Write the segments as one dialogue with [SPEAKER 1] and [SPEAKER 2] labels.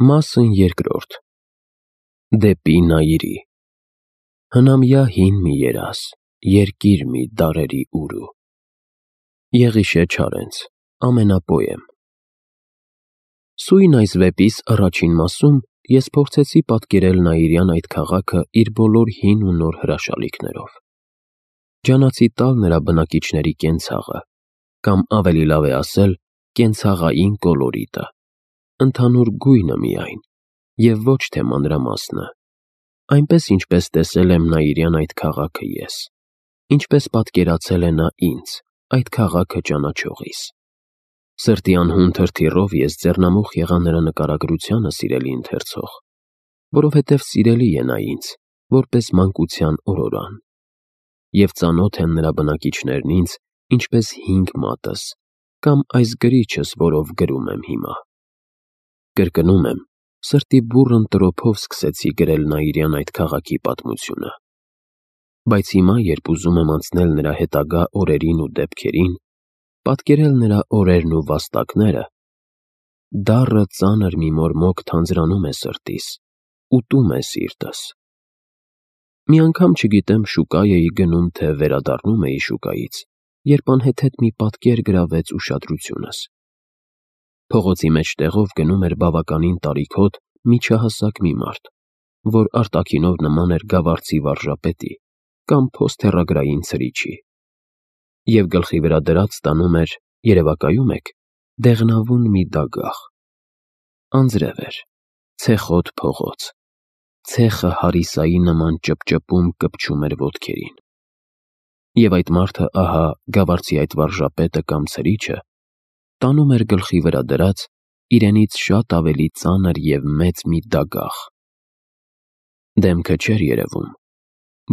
[SPEAKER 1] Մասն երկրորդ Դեպի Նայիրի Հնամյա հին մի երաս, երկիր մի դարերի ուրու Եղիշե Չարենց, ամենապոեմ Սույն այս վեպիս առաջին մասում ես փորձեցի պատկերել Նայիրյան այդ քաղաքը իր բոլոր հին ու նոր հրաշալիքներով Ջանացի տալ նրա բնակիչների կենցաղը, կամ ավելի լավ է ասել կենցաղային կոլորիտը, ընդհանուր գույնը միայն, և ոչ թե մանրամասնը, այնպես ինչպես տեսել եմ Նայիրյան այդ քաղաքը ես, ինչպես պատկերացել է նա ինձ, այդ քաղաքը ճանաչողիս: Սրտի անհուն թրթիռով ես ձեռնամուխ եղա նրա նկարագրությանը, սիրելի ընթերցող, որովհետև սիրելի է նա ինձ, որպես մանկության օրորան, և ծանոթ են նրա բնակիչներն ինձ, ինչպես հինգ մատս, կամ այս գրիչս, որով գրում եմ հիմա: Կրկնում եմ, սրտի բուռն տրոփով սկսեցի գրել Նայիրյան այդ քաղաքի պատմությունը: Բայց հիմա, երբ ուզում եմ անցնել նրա հետագա օրերին ու դեպքերին, պատկերել նրա օրերն ու վաստակները, դառը ծանր մի մորմոք թանձրանում է սրտիս, ուտում է սիրտս: Մի անգամ չգիտեմ շուկա էի գնում, թե վերադառնում էի շուկայից, երբ անհեթեթ մի պատկեր գրավեց ուշադրությունս: Փողոցի մեջտեղով գնում էր բավականին տարիքոտ, միջահասակ մի մարդ, որ արտաքինով նման էր գավառցի վարժապետի, կամ փոսթեռագրային ցրիչի, և գլխի վրա դրած տանում էր, երևակայում եք, դեղնավուն մի դագաղ: Անձրև էր, ցեխոտ փողոց, ցեխը հարիսայի նման ճպճպում էր ոտքերին: Եվ այդ մարդը ահա գավառցի այդ վարժապետը կամ ցրիչը տանում էր գլխի վրա դրած, իրենից շատ ավելի ծանր և մեծ մի դագաղ: Դեմքը չէր երևում,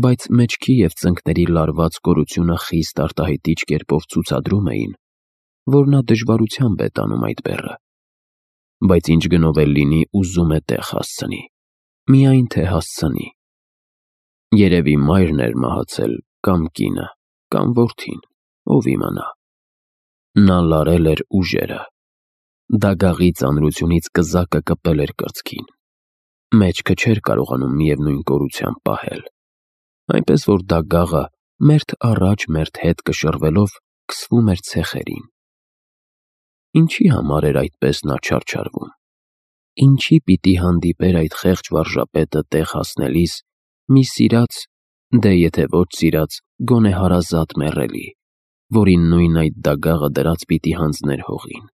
[SPEAKER 1] բայց մեջքի և ծնկների լարված կորությունը խիստ արտահայտիչ կերպով ցուցադրում էին, որ նա դժվարությամբ է տանում այդ բեռը, բայց ինչ գնով էլ լինի ուզում է տեղ հասցնի, միայն թե հասցնի: Երևի մայրն էր մահացել, կամ կինը, կամ որդին, ով իմանա: Նա լարել էր ուժերը: Դագաղի ծանրությունից կզակը կպել էր կրծքին: Մեջքը չէր կարողանում միևնույն կորությամբ պահել, այնպես որ դագաղը մերթ առաջ մերթ հետ կշռվելով քսվում էր ցեխերին: Ինչի համար էր այդպես նա չարչարվում: Ինչի պիտի հանդիպեր այդ խեղճ վարժապետը տեղ հասնելիս մի սիրած, դե եթե ոչ սիրած, գոնե հարազատ մեռելի, որին նույն այդ դագաղը դրած պիտի հանձներ հողին: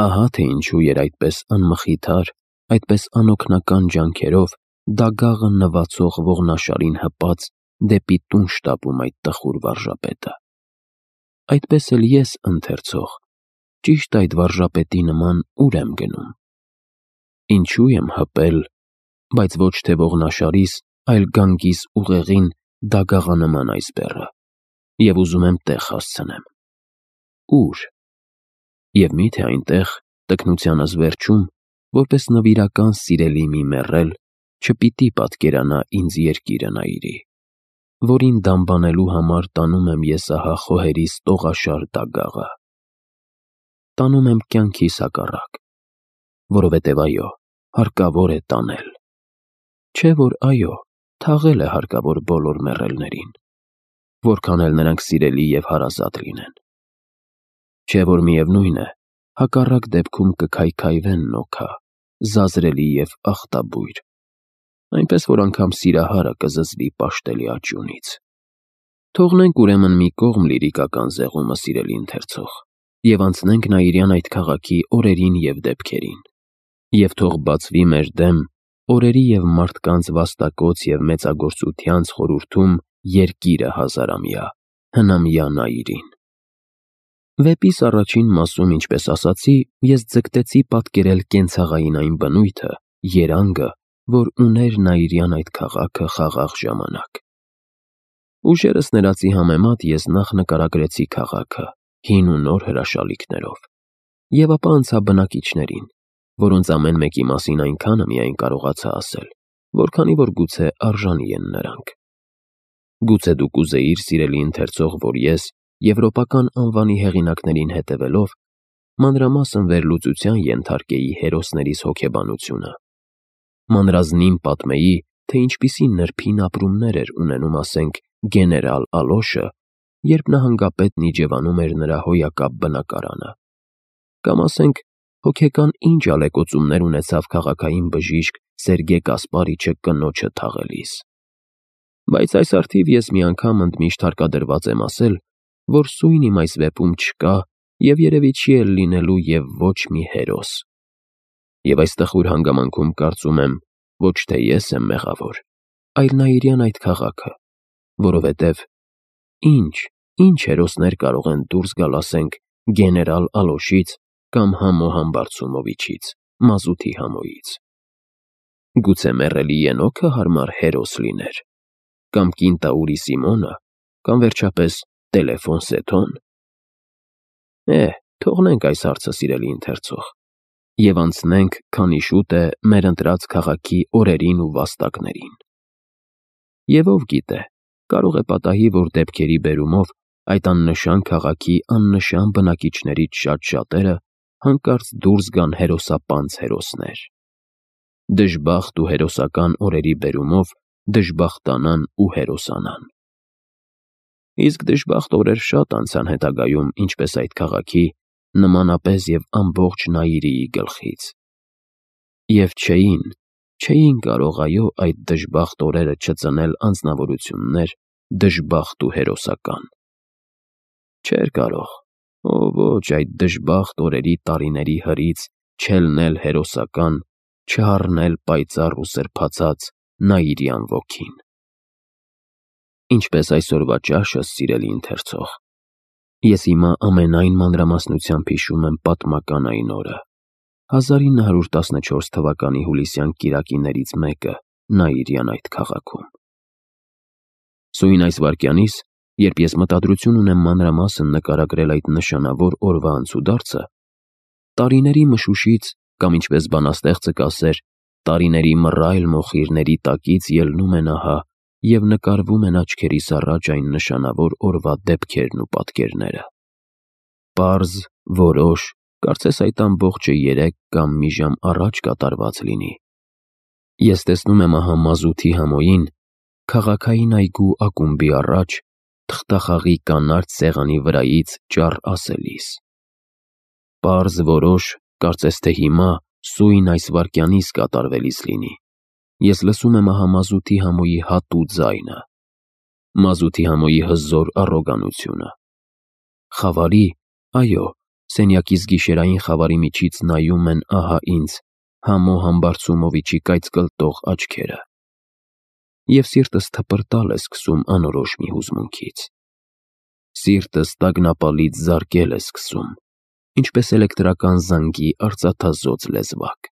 [SPEAKER 1] Ահա թե ինչու էր այդպես անմխիթար, այդպես անօգնական ջանքերով դագաղը նվացող ողնաշարին հպած դեպի տուն շտապում այդ տխուր վարժապետը: Այդպես էլ ես, ընթերցող, ճիշտ այդ վարժապետի նման ուր եմ գնում: Ինչու եմ հպել, բայց ոչ թե ողնաշարիս, այլ գանգիս ուղեղին դագաղանման այս բեռը և ուզում եմ տեղ հասցնեմ: Ո՞ւր: Եվ մի՞թե այնտեղ, տքնությանս վերջում, որպես նվիրական սիրելի մի մեռել, չպիտի պատկերանա ինձ երկիրը Նայիրի, որին դամբանելու համար տանում եմ ես ահա խոհերիս տողաշար դագաղը: Տանում եմ կյանքիս հակառակ, որովհետև այո, հարկավոր է տանել: Չէ՞ որ այո, թաղել է հարկավոր բոլոր մեռելներին, որքան էլ նրանք սիրելի և հարազատ լինեն: Չէ՞ որ միևնույն է, հակառակ դեպքում կքայքայվեն նոքա, զազրելի և ախտաբույր, այնպես որ անգամ սիրահարը կզզվի պաշտելի աճյունից: Թողնենք ուրեմն մի կողմ լիրիկական զեղումը, սիրելի ընթերցող, և անցնենք Նայիրյան այդ քաղաքի օրերին և դեպքերին: Եվ թող բացվի մեր դեմ օրերի և մարդկանց վաստակոց և մեծագործությանց խորհրդում երկիրը հազարամյա, հնամյա Նայիրին: Վեպիս առաջին մասում, ինչպես ասացի, ես ձգտեցի պատկերել կենցաղային այն բնույթը, երանգը, որ ուներ Նայիրյան այդ քաղաքը խաղաղ ժամանակ: Ուժերս ներածի համեմատ ես նախ նկարագրեցի քաղաքը, հին ու նոր հրաշալիքներով, և ապա անցա բնակիչներին, որոնց ամեն մեկի մասին այնքանը միայն կարողացա ասել, որքանի որ գուցե արժանի են նրանք: Գուցե դու կուզեիր, սիրելի ընթերցող, որ ես, եվրոպական անվանի հեղինակներին հետևելով, մանրամասն վերլուծության ենթարկեի հերոսներիս հոգեբանությունը։ Մանրազնին պատմեի, թե ինչպիսի նրբին ապրումներ էր ունենում, ասենք, գեներալ Ալոշը, երբ նահանգապետն իջևանում էր նրա հոյակապ բնակարանը։ Կամ ասենք, հոգեկան ինչ ալեկոծումներ ունեցավ քաղաքային բժիշկ Սերգեյ Կասպարիչը կնոջը թաղելիս։ Բայց այս առթիվ ես մի անգամ ընդմիշտ հարկադրված եմ ասել, որ սույն իմ այս վեպում չկա և երևի չի էլ լինելու և ոչ մի հերոս։ Եվ այս տխուր հանգամանքում կարծում եմ, ոչ թե ես եմ մեղավոր, այլ Նաիրյան այդ քաղաքը, որովհետև ինչ հերոսներ կարող են դուրս գալ, ասենք, գեներալ Ալոշից կամ Համո Համբարձումովիչից, Մազութի Համոյից։ Գուցե մեռելի Ենոքը հարմար հերոս լիներ, կամ Կինտաուրի Սիմոնը, կամ վերջապես Տելեֆոն Սեթոն։ Թողնենք այս հարցը, սիրելի ընթերցող, և անցնենք, քանի շուտ է, մեր ընտրած քաղաքի օրերին ու վաստակներին։ Եվ ով գիտե, կարող է պատահի, որ դեպքերի բերումով այդ աննշան քաղաքի աննշան բնակիչներից շատ-շատերը հանկարծ դուրս գան հերոսապանծ հերոսներ։ Դժբախտ ու հերոսական օրերի բերումով դժբախտանան ու հերոսանան։ Իսկ դժբախտ օրեր շատ անցան հետագայում, ինչպես այդ քաղաքի, նմանապես և ամբողջ Նաիրիի գլխից։ Եվ չէին կարող այո այդ դժբախտ օրերը չծնել անձնավորություններ դժբախտ ու հերոսական։ Չէր կարող, ոչ այդ դժբախտ օրերի տարիների հրից չելնել հերոսական, չհառնել պայծառ ու սրբացած Նաիրյան ոգին։ Ինչպես այսօրվա ճաշս, սիրելի ընթերցող, ես հիմա ամենայն մանրամասնությամբ հիշում եմ պատմական այն օրը, 1914 թվականի հուլիսյան կիրակիներից մեկը Նաիրյան այդ քաղաքում։ Սույն այս վայրկյանից, երբ ես մտադրություն ունեմ մանրամասն նկարագրել այդ նշանավոր օրվա անցուդարձը, տարիների մշուշից, կամ ինչպես բանաստեղծը կասեր, տարիների մռայլ մոխիրների տակից ելնում են ահա և նկարվում են աչքերիս առաջ այն նշանավոր օրվա դեպքերն ու պատկերները։ Պարզ, որոշ, կարծես այդ ամբողջը 3 կամ մի ժամ առաջ կատարված լինի։ Ես տեսնում եմ ահա Մազութի Համոյին, քաղաքային այգու ակումբի առաջ, թղթախաղի կանաչ սեղանի վրայից ճառ ասելիս։ Պարզ, որոշ, կարծես թե հիմա, սույն այս վայրկյանից կատարվելիս լինի։ Ես լսում եմ ահա Մազութի Համոյի հատու ձայնը, Մազութի Համոյի հզոր առոգանությունը։ Խավարի, այո, սենյակիս գիշերային խավարի միջից նայում են ահա ինձ Համո Համբարձումովիչի կայծկլտող աչքերը։ Եվ սիրտս թպրտալ է սկսում անորոշ մի հուզմունքից։ Սիրտս տագնապալից զարկել է սկսում, ինչպես էլեկտրական զանգի արծաթազօծ լեզվակ։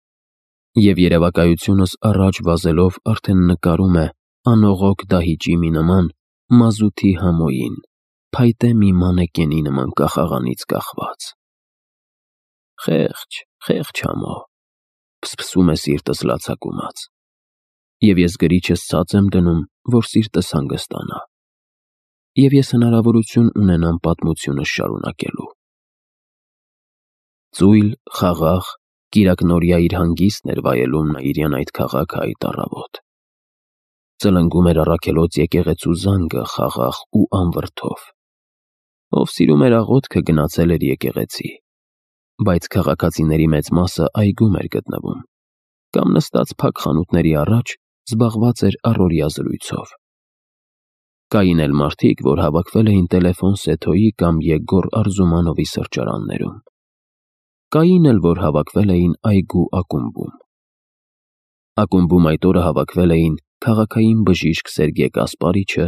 [SPEAKER 1] Եվ երևակայությունս առաջ վազելով արդեն նկարում է անողոք դահիճի մի նման Մազութի Համոյին, փայտե մի մանեկենի նման կախաղանից կախված։ Խեղճ Համո, փսփսում է սիրտս լացակումած։ Եվ ես գրիչս ցած եմ դնում, որ սիրտս հանգստանա։ Եվ ես հնարավորություն ունենամ պատմությունս շարունակելու։ Ծույլ, խաղաղ, կիրակնօրյա իր հանգիստն էր վայելում Նաիրյան այդ քաղաքը այդ առավոտ։ Ծլնգում էր առաքելոց եկեղեցու զանգը խաղաղ ու անվրդով։ Ով սիրում էր աղոթքը, գնացել էր եկեղեցի, բայց քաղաքացիների մեծ մասը այգում էր գտնվում, կամ նստած փակ խանութների առաջ զբաղված էր առօրյա զրույցով։ Կային էլ մարդիկ, որ հավաքվել էին Տելեֆոն Սեթոյի կամ Եգոր Արզումանովի սրճարաններում։ Կային էլ, որ հավաքվել էին այգու ակումբում։ Ակումբում այդ օրը հավաքվել էին քաղաքային բժիշկ Սերգեյ Կասպարիչը,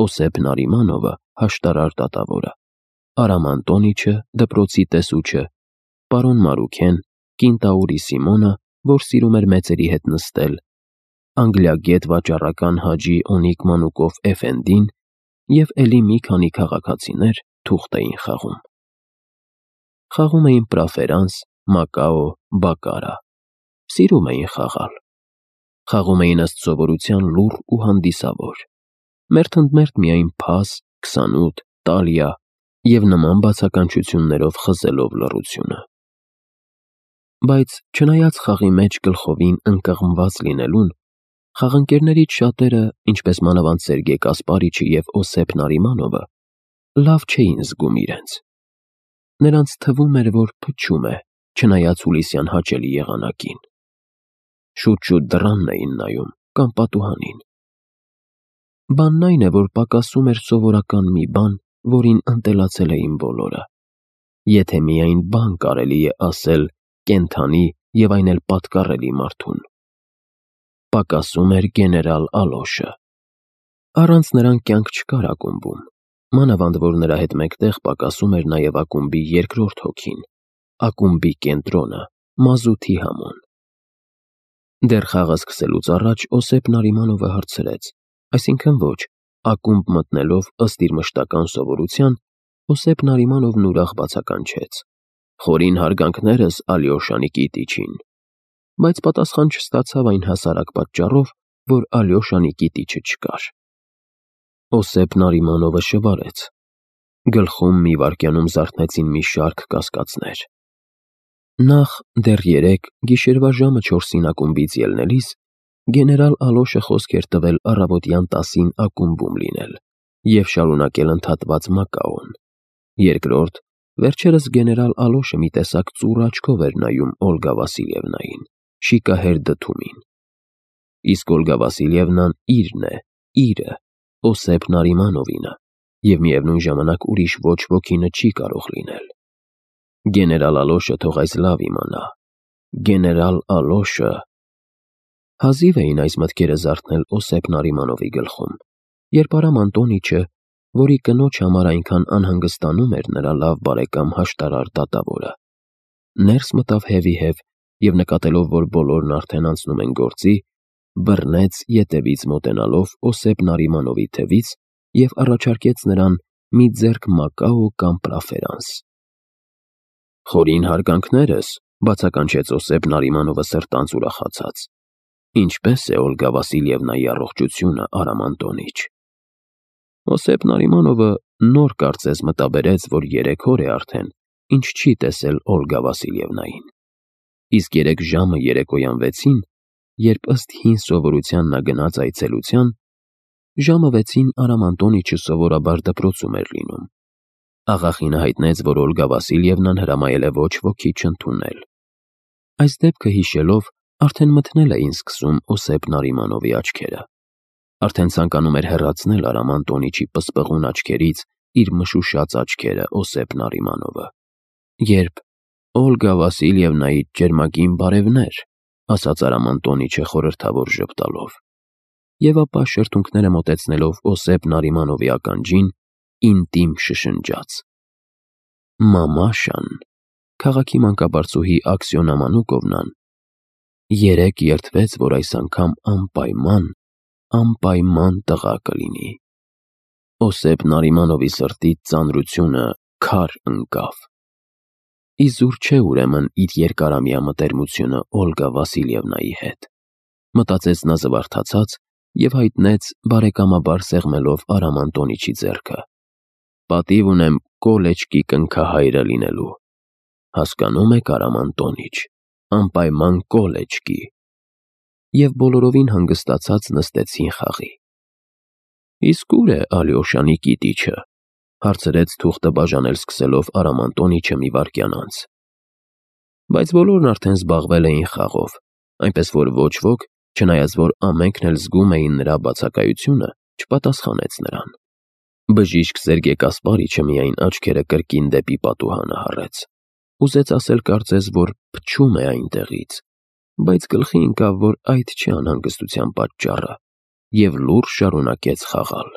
[SPEAKER 1] Օսեփ Նարիմանովը, հաշտարար դատավորը, Արամ Անտոնիչը, դպրոցի տեսուչը, պարոն Մարուքեն, Կինտաուրի Սիմոնը, որ սիրում էր մեծերի հետ նստել, անգլիագետ վաճառական Հաջի Օնիկ Մանուկով Էֆենդին և էլի մի քանի քաղաքացիներ թուղթ էին խաղում։ Խաղում էին պրաֆերանս, մակաո, բակարա։ Սիրում էին խաղալ։ Խաղում էին ըստ սովորության լուռ ու հանդիսավոր։ Մերթ ընդ մերթ միայն փաս, 28, տալիա և նման բացականչություններով խզելով լռությունը։ Բայց չնայած խաղի մեջ գլխովին ընկղմված լինելուն, խաղընկերներից շատերը, ինչպես մանավանդ Սերգեյ Կասպարիչը և Օսեփ Նարիմանովը, լավ չէին զգում իրենց։ Նրանց թվում էր, որ փչում է, չնայած հուլիսյան հաճելի եղանակին։ Շուտ-շուտ դռանն էին նայում կամ պատուհանին։ Բանն այն է, որ պակասում էր սովորական մի բան, որին ընտելացել էին բոլորը։ Եթե միայն բան կարելի է ասել կենդանի և այն էլ պատկառելի մարդուն։ Պակասում էր գեներալ Ալոշը։ Առանց նրան կյանք չկար ակումբում, մանավանդ որ նրա հետ մեկտեղ պակասում էր նաև ակումբի երկրորդ հոգին, ակումբի կենտրոնը, մազութի համոն։ Դեռ խաղը սկսելուց առաջ Օսեփ Նարիմանովը հարցրեց, այսինքն ոչ, ակումբ մտնելով ըստ իր մշտական սովորության, Օսեփ Նարիմանովն ուրախ բացականչեց. «Խորին հարգանքներս Ալյոշա Նիկիտիչին», բայց պատասխան չստացավ այն հասարակ պատճառով, որ Ալյոշա Նիկիտիչը չկար։ Օսեփ Նարիմանովը շվարեց։ Գլխում մի վայրկյանում զարթնեցին մի շարք կասկածներ։ Նախ, դեռ երեկ, գիշերվա ժամը 4-ին ակումբից ելնելիս, գեներալ Ալոշը խոսք էր տվել առավոտյան 10-ին ակումբում լինել և շարունակել ընդհատված Մակաոն։ Երկրորդ, վերջերս գեներալ Ալոշը մի տեսակ ծուռ աչքով էր նայում Օլգա Վասիլևնային, շիկահեր դդումին։ Իսկ Օլգա Վասիլևնան իրն է, իրը, Օսեփ Նարիմանովինը, և միևնույն ժամանակ ուրիշ ոչ ոքինը չի կարող լինել։ Գեներալ Ալոշը թող այս լավ իմանա։ Գեներալ Ալոշը… Հազիվ էին այս մտքերը զարթնել Օսեփ Նարիմանովի գլխում, երբ Արամ Անտոնիչը, որի կնոջ համար այնքան անհանգստանում էր նրա լավ բարեկամ հաշտարար դատավորը, ներս մտավ հևիհև և նկատելով, որ բոլորն արդեն անցնում են գործի, բռնեց ետևից մոտենալով Օսեփ Նարիմանովի թևից և առաջարկեց նրան մի ձեռք Մակաո կամ պրաֆերանս։ «Խորին հարգանքներս», բացականչեց Օսեփ Նարիմանովը սրտանց ուրախացած։ «Ինչպե՞ս է Օլգա Վասիլևնայի առողջությունը, Արամ Անտոնիչ»։ Օսեփ Նարիմանովը նոր կարծես մտաբերեց, որ 3 օր է արդեն, ինչ չի տեսել Օլգա Վասիլևնային։ Իսկ երեկ ժամը երեկոյան 6-ին, երբ ըստ հին սովորության նա գնաց այցելության, ժամը 6-ին Արամ Անտոնիչը սովորաբար դպրոցում էր լինում։ Աղախինը հայտնեց, որ Օլգա Վասիլևնան հրամայել է ոչ ոքի չընդունել։ Այս դեպքը հիշելով, արդեն մթնել էին սկսում Օսեփ Նարիմանովի աչքերը։ Արդեն ցանկանում էր հեռացնել Արամ Անտոնիչի պսպղուն աչքերից իր մշուշած աչքերը Օսեփ Նարիմանովը, երբ «Օլգա Վասիլևնայիդ ջերմագին բարևներ», ասաց Արամ Անտոնիչը խորհրդավոր ժպտալով, և ապա շրթունքները մոտեցնելով Օսեփ Նարիմանովի ականջին, ինտիմ շշնջաց. «Մամաշան, քաղաքի մանկաբարձուհի Աքսիոնա Մանուկովնան, երեկ երդվեց, որ այս անգամ անպայման տղա կլինի»։ Օսեփ Նարիմանովի սրտից ծանրությունը քար ընկավ։ Իզուր չէ ուրեմն իր երկարամյա մտերմությունը Օլգա Վասիլևնայի հետ, մտածեց նա զվարթացած և հայտնեց բարեկամաբար սեղմելով Արամ Անտոնիչի ձեռքը. «Պատիվ ունեմ Կոլեչկի կնքահայրը լինելու։ Հասկանում եք, Արամ Անտոնիչ, անպայման Կոլեչկի»։ Եվ բոլորովին հանգստացած նստեցին խաղի։ «Իսկ ո՞ւր է Ալյոշա Նիկիտիչը», հարցրեց թուղթը բաժանել սկսելով Արամ Անտոնիչը մի վայրկյան անց։ Բայց բոլորն արդեն զբաղվել էին խաղով, այնպես որ ոչ ոք, չնայած որ ամենքն էլ զգում էին նրա բացակայությունը, չպատասխանեց նրան։ Բժիշկ Սերգեյ Կասպարիչը միայն աչքերը կրկին դեպի պատուհանը հառեց։ Ուզեց ասել կարծես, որ փչում է այնտեղից, բայց գլխի ընկավ, որ այդ չէ անհանգստության պատճառը, և լուրջ շարունակեց խաղալ։